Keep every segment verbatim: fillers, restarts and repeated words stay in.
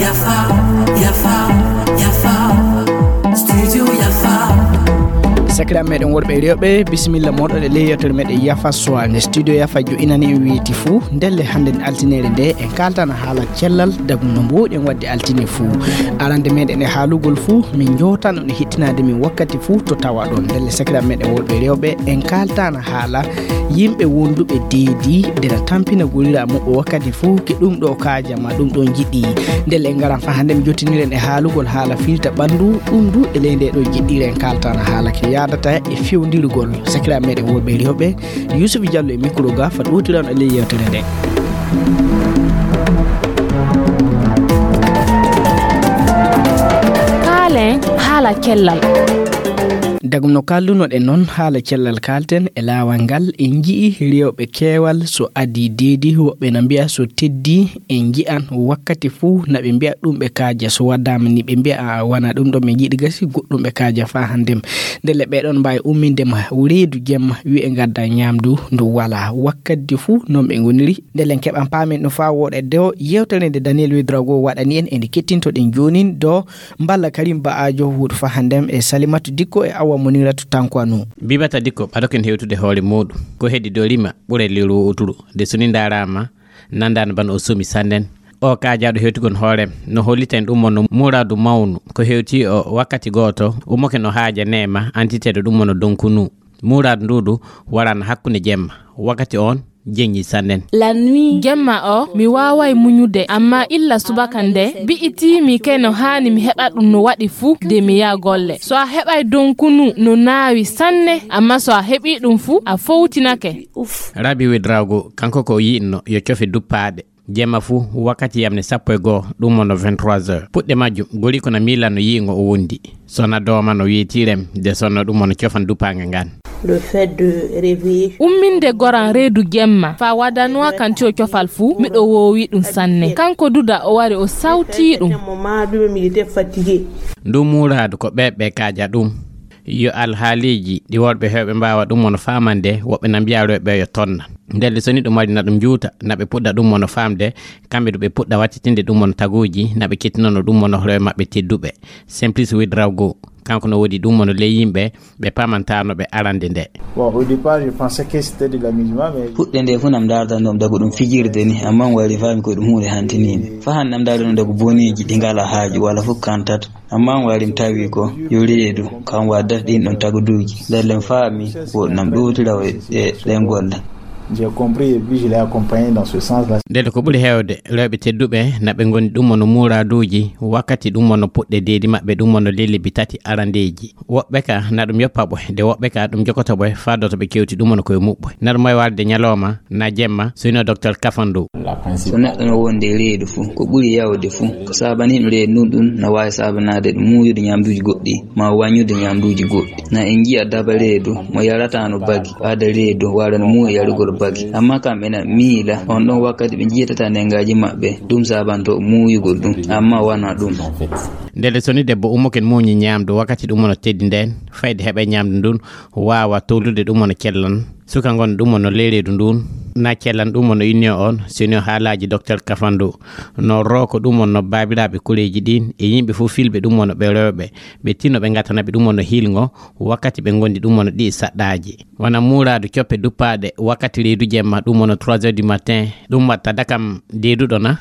Yafa, yafa, yafa. Studio yafa. Sakiraaɓe meɗen worɓe e rewɓe, bisimilla moɗon e ley yewtere meɗen Yafa Soirée. Studio Yafa jo'inani en weeti fuu. Ndelle hannden altineere nde en kaaltana haala cellal, dagu no mbuuɗen waɗde altine fuu. Arande meɗen e haalugol fuu, min njootan on e hittinaade min wakkati fuu to tawaɗon. Ndelle sakiraaɓe meɗen worɓe e rewɓe, en kaaltana haala yimɓe wonduɓe deedi, nde na tampina golira muɓɓe wakkati fuu, ke ɗum ɗo kaaja ma ɗum ɗon jiɗi. Ndelle en ngaran faa hannde mi jottiniren e haalugol haala fiilta ɓanndu, ɗum du e ley nde ɗo jiɗɗiren kaaltana haala ke yaadata e fewndirgol. Sakiraaɓe meɗen worɓe e rewɓe, Yusuf Jallo e mikro ga fa ɗowtiran e ley yewtere nde. Kaalen haala cellal. Dagum no kaldunoɗen noon haala cellal kaalten e laawal ngal, en nji'i rewɓe keewal so adii deedi, woɓɓe na mbi'a so teddii, en nji'an wakkati fuu na ɓe mbi'a ɗum ɓe kaaja, so waɗaama ni ɓe mbi'a a wana ɗum ɗo min njiɗi gasi, goɗɗum ɓe kaaja faa hanndem. Ndelle ɓe ɗon mbaawi umminde ma reedu jemma, wi'e ngadda ñaamdu ndu walaa. Wakkati fuu noon ɓe ngoniri. Ndelle en keɓan paamen ɗum faa wooɗa e dow yewtere nde Daniel Ouédraogo waɗani en, e nde kettintoɗen joonin dow mballa Karim Ba'ajo wuuɗo faa hanndem e Salimatu Dikko e Awa Moniratu Tankwanu. Bibata Dikko, ɓado ken hewtude hoore muuɗum. Ko heddii dow rima ɓure liru uturu. De so ni ndaaraama, nandaani bana o sumi sannen. O kaajaaɗo hewtugol hoore, no holliten ɗum mo no muraadu mawnu. Ko hewti o wakkati gooto, umoke no haaja neema, antiteeɗo ɗum mo no donkunu. Muraadu ndu du warana hakkunde jemma. Wakkati on, jeñi sannen. La nuit. Jemma o, mi waaway muñude, amma illa subaka nde, bi'iti mi ke no haani mi heɓa ɗum no waɗi fu, de mi yaha golle. So a heɓay donkunu no naawi sanne, amma so a heɓi ɗum fu, a fowtinake. Rabi Ouédraogo, kanko ko o yi'inno, yo cofe duppaaɗe. Jemma fu, wakkati yamne sappo e goo, ɗum mo no vingt-trois heures. Puɗɗe majjum, gori ko na miilan no yi'ingo o wondi. Sona dooma no weetirem, de sonno ɗum mo no cofan dupaange ngan. Le fait de réveiller. Umminde goran reedu jemma, fa wadanwa kanti o cofal fu, miɗo woowi ɗum sanne. Kanko duda o wari o sawti ɗum. Moment, lui-même, il était fatigué. Ndu muuraadu ko ɓe ɓe kaaja ɗum. Yo alhaaliiji ɗi worɓe heewɓe mbaawa ɗum mo no faamande, woɓɓe na mbiya rewɓe yo tonna. Ndelle so ni ɗum wari na ɗum juuta, na ɓe puɗɗa ɗum mo no faamde, kamɓe du ɓe puɗɗa wattitinde ɗum mo no taguuji, na ɓe kettinano ɗum mo no hoore maɓɓe tedduɓe. Simplice Ouédraogo, kanko no woodi ɗum mo no ley yimɓe, ɓe paamantaano ɓe arande nde. Bon, au départ, je pensais que c'était de l'amusement, mais puɗɗe nde fof nam ndaardanoo mi dago ɗum fijirde ni, amma mi wari faami ko ɗum huunde hantiniinde. Fa hannde nam ndaardanoo mi dago boneeji ɗi ngalaa haaju walla fof kantata. Amma mi wari mi tawi ko yo reedu, kam waddata ɗin ɗon taguduuji. Ndelle mi faami ko nam ɗowtira e ɗen golle. J'ai compris et puis je l'ai accompagné dans ce sens-là. Ndelle ko ɓuri heewde, rewɓe tedduɓe, na ɓe ngoni ɗum mo no muuraaduuji, wakkati ɗum mo no puɗɗe deedi maɓɓe, ɗum mo no lellibi tati arandeeji. Woɓɓe ka, na ɗum yoppa ɓoy, de woɓɓe ka, ɗum jogoto ɓoy, faa doto ɓe kewti ɗum mo no koye muɓɓoy. Na ɗum wawi warde ñalooma, na jemma, so hino Docteur Kafandu. So neɗɗo no wonde e reedu fu, ko ɓuri yawde fu, ko saabani ɗum reedu ndun ɗun, na waawi saabanaade ɗum muuyude ñaamduuji goɗɗi, ma waññude ñaamduuji goɗɗi. Na en njiya daba reedu, mo yarata no bagi, ɓaada reedu, wara no muuya yarugol bagi. Amma kamɓe na miila, on ɗon wakkati ɓe njiyatata nengaaji maɓɓe, ɗum saabanto muuyugol ɗum, amma wanaa ɗum. Ndelle so ni debbo ummoken muuñi ñaamdu wakkati ɗum no teddi ndeen, fayde heɓa ñaamdu ndun, waawa towlude ɗum no cellan. Suka ngon ɗum no ley reedu ndun, na cellan ɗum no inni on, sino haalaaji Docteur Kafandu. No rooko ɗum no baabiraaɓe koreeji ɗin, e yimɓe fof filɓe ɗum no ɓe rewɓe, ɓe tinno ɓe ngatana ɓe ɗum no hilngo, wakkati ɓe ngondi ɗum no ɗi saɗɗaaji. Wona muuraadu coppe duppaaɗe, wakkati reedu jemma, ɗum no trois heures du matin, ɗum watta dakam deeduɗo na?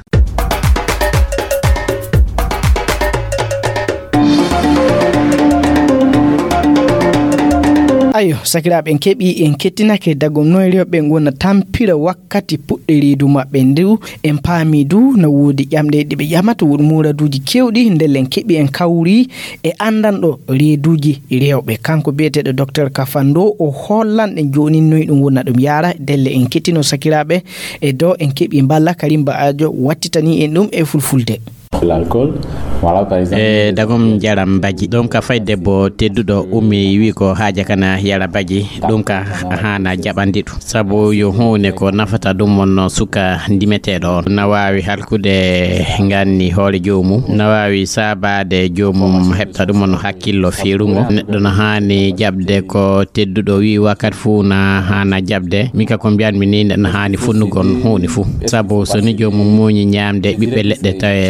Ayo, sakiraaɓe, en keɓi, en kettinake dagom noy rewɓe ngona tampira wakkati puɗɗe reedu maɓɓe ndu. En paami du, na woodi ƴamɗe ɗe ɓe ƴamata, woodi muuraduuji keewɗi, ndelle en keɓi, en kawri e anndanɗo reeduuji rewɓe. Kanko biyeteeɗo Docteur Kafando, o hollan ɗen jooni noy ɗum wona ɗum yaara. Ndelle en kettino sakiraaɓe e do en keɓi mballa Karimba Ajo wattitani en ɗum e fulfulde. L'alcool, voilà, par exemple. E dagom jaram baji ɗum ka fay debbo tedduɗo ummi wi ko haaja kana yara baji, ɗum ka haana jaɓandi ɗum sabu yo huunde ko nafata ɗum on suka ndimeteeɗo on na waawi halkude nganni hoore joomum, na waawi saabaade joomum heɓta ɗum on hakkillo feerungo. Neɗɗo na haani jaɓde ko tedduɗo wi wakkati fuu na haana jaɓde. Min ka ko mbiyanmi ni, neɗɗo na haani funnugol huunde fuu. Sabu so ni joomum muuñi ñaamde ɓiɓɓe leɗɗe tawe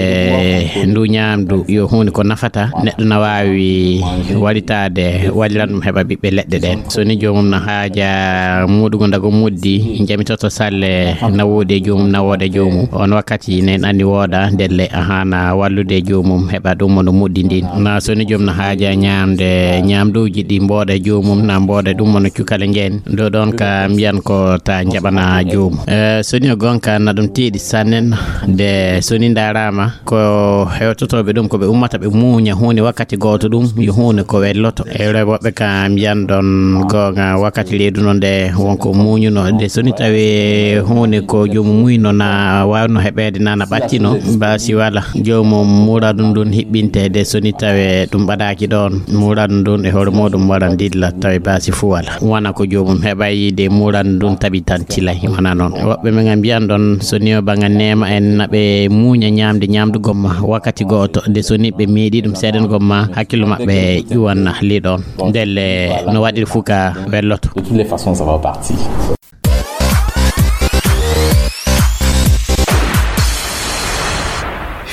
ndu ñaamdu yo huunde ko nafata, neɗɗo na waawi walitaade walliran ɗum heɓa ɓiɓɓe leɗɗe ɗen. So ni joomum na haaja muuɗugo ndago muddi, jamitoto salle na woodi e joomum, na wooda joomum. On wakkati nen anni wooda ndelle a haana wallude joomum heɓa ɗum mo no muddi ndin. Na so ni joom na haaja ñaamde ñaamduuji ɗi mbooda joomum, na mbooda ɗum mo no cukale ngeen. Ɗo ɗon ka mbiyan ko ta jaɓana joomum. Eh, so ni o gonka na ɗum tiiɗi sannen de so ni ndaaraama ko hewtotooɓe ɗum ko ɓe ummata ɓe muuña huunde wakkati gooto ɗum yo huunde ko welloto. E woɓɓe ka mbiyan ɗon goonga wakkati leydu no nde wonko muuñuno de so ni tawi huunde ko joomum muyno na waawno heɓeede na na ɓattino ba si wala joomum muura ɗum ɗum hiɓɓinte de so ni tawi ɗum ɓadaaki ɗon muura ɗum ɗum e hoore muɗum wara ndilla tawi ba si fu wala. Wona ko joomum heɓa yiide muura ɗum ɗum tabitan tilay wona noon. Woɓɓe men a mbiyan ɗon so ni o ɓaŋa neema en na ɓe muuña ñaamde ñaamdu gomma wakkati gooto de so ni ɓe meeɗi ɗum seeɗen gomma hakkillo maɓɓe ƴuwanna li ɗon. Ndelle no waɗiri fuu ka welloto. De toutes les façons, ça va partir.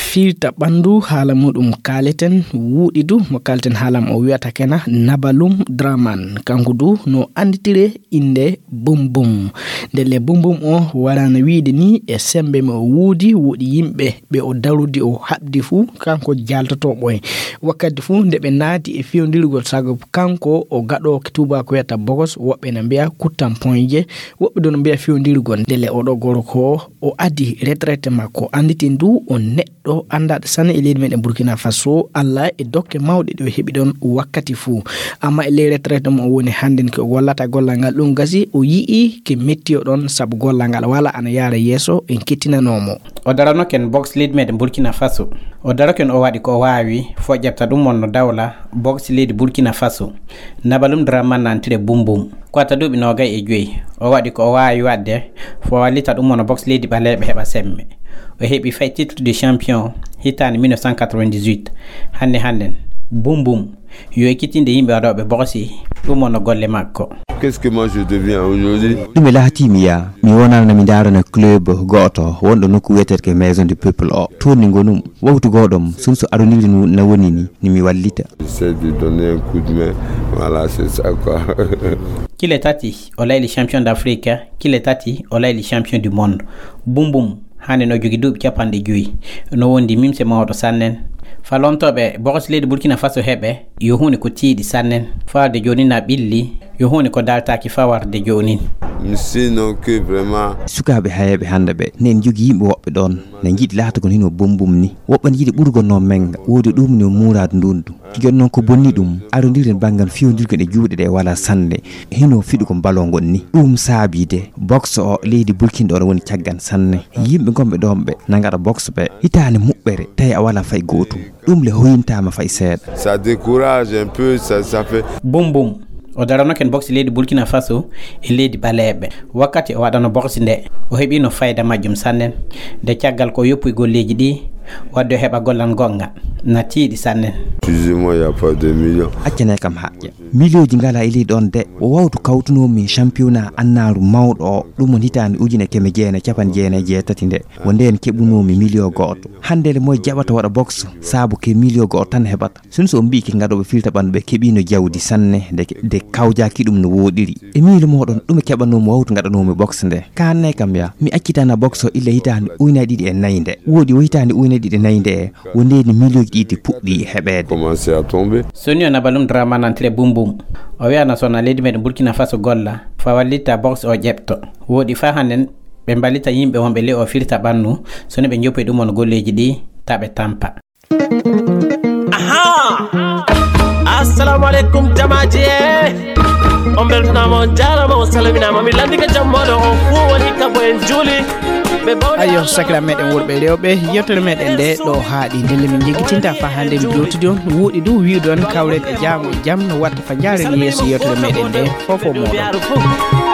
Fiilta ɓanndu haala muɗum kaaleten wuuɗi du mo kaaleten haala mo o wiyata kena Nabalum Draman. Kanko du no annditire innde Bum Bum. Ndelle Bum Bum o warano wiide ni e semmbe mo o wuudi, woodi yimɓe ɓe o darudi o haɓdi fuu, kanko jaaltotoo ɓoy. Wakkati fuu nde ɓe naati e fewndirgol sago kanko o gaɗooki tuuba ko wiyata bogos, woɓɓe na mbiya kuttan poñje, woɓɓe ɗon mbiya fewndirgol. Ndelle oɗo gorko o adi retraite makko, annditi ndu o neɗɗo ɗo anndaɗo sanne e leydi meɗen Burkina Faso, Allah e dokke mawɗe ɗe o heɓi ɗon wakkati fuu. Amma e ley retraite mo o woni hannden ko o gollata gollal ngal ɗum gasi o yi'i ke metti o ɗon sabu gollal ngal wala ana yaara yeeso en kettinanoo mo. O darano ken box leydi meɗen Burkina Faso. O daro ken o waɗi ko o waawi fo ƴefta ɗum wonno dawla box leydi Burkina Faso. Nabalum Dramane nantire Bum Bum. Ko wata duuɓi noogay e joyi, o waɗi ko o waawi waɗde fo wallita ɗum wona boxe leydi ɓaleeɓe heɓa semme. O heɓi fay titre de champion hitaande mille neuf cent quatre-vingt-dix-huit. Hannde hannden, Bum Bum yo ekkitinde yimɓe waɗooɓe boxe, ɗum wonno golle makko. Qu'est-ce que moi je deviens aujourd'hui? Ɗum e laatiimi ya, mi wonano mi ndaarana club gooto wonɗo nokku wiyeteeɗo ko Maison du Peuple o. Toon ni ngonum, waktu gooɗom, sun so aroniri nu na woni ni, ni mi wallita. J'essaie de donner un coup de main. Voilà, c'est ça quoi. Kile tati, o layli champion d'Afrique. Kile tati, o layli champion du monde. Bum Bum, hannde no jogi duuɓi capanɗe joyi. No wondi mimse mawɗo sannen. Fa lontooɓe boxe leydi Burkina Faso heɓe, yo huunde ko tiiɗi sannen. Fawarde jooni na ɓilli, yo huunde ko daltaaki fawarde jooni. Sinon que vraiment. Sukaaɓe hayeeɓe hannde ɓe, ne en jogi yimɓe woɓɓe ɗoon. Na njiɗi laatagol hino Bum Bum ni. Woɓɓe ne njiɗi ɓurgol no menga. Woodi ɗum ni o muuraadu ndundu. Kijon noon ko bonni ɗum, arondiren banngal fiyondirgol e juuɗe ɗe wala sannde. Hino fiɗugol baloo ngol ni. Ɗum saabii de, boxe o leydi Burkina ɗo woni caggan sanne. Yimɓe gonɓe ɗoon ɓe, na ngaɗa boxe ɓe. Hitaande muɓɓere, tawi a wala fay gootum. Ɗum le hoyintaama fay seeɗa. Ça décourage un peu, ça, ça fait. Bum Bum. O darano ken boxe leydi Burkina Faso e leydi ɓaleeɓe. Wakkati o waɗano boxe nde, o heɓino fayda majjum sannen. Nde caggal ko yoppuy golleeji ɗi, wadde o heɓa gollal gonga, na tiiɗi sannen. Excusez-moi, il y a pas de million. Accane kam haƴƴa. Miliyooji ngala e leydi ɗoon de, o wawtu kawtunoo min championnat annaaru mawɗo o, ɗum won hitaande ujine keme jeenayi capanɗe jeenayi e jeetati nde, wo ndeen keɓunoo mi miliyo gooto. Hannde le moy jaɓata waɗa boxe, saabu ke miliyo gooto tan heɓata. Sun so on mbi'i ke ngaɗooɓe filta ɓandu ɓe keɓiino jawdi sanne de, de kawjaaki ɗum no wooɗiri. E miilu mooɗon, ɗume keɓanoomi wawtu ngaɗanoomi boxe nde? Kaanne kam ya, mi accitana boxe o illa hitaande ujunaaji ɗiɗi e nayi nde. Woodi o hitaande ujunaaji ɗiɗi e nayi nde, wo ndeeni miliyooji ɗiɗi puɗɗi heɓeede. Commencé à tomber. Soni o Nabalum Dramane nantire Bum Bum. O wiyana sona leydi meɗen Burkina Faso golla, fa wallitta boxe o ƴeɓto. Woodi fa hannden ɓe mballita yimɓe wonɓe ley o firta ɓannu, soni ɓe njoppi ɗum on golleeji ɗi, ta ɓe tampa. Aha! Assalamu alaikum jamaji e. On beltanama, on jarama, on salminama. Mi landi ka jammoɗo on fu woni ka bo en juli. Ayo, sakira meɗen worɓe e rewɓe, yewtere meɗen nde ɗo haaɗi. Ndelle min jeggitinta fa hannde mi jowtidi on, woɗi du wi'ude on kawren e jaango e jam no watta fa njaaren yeeso yewtere meɗen nde. Fofo moɗon.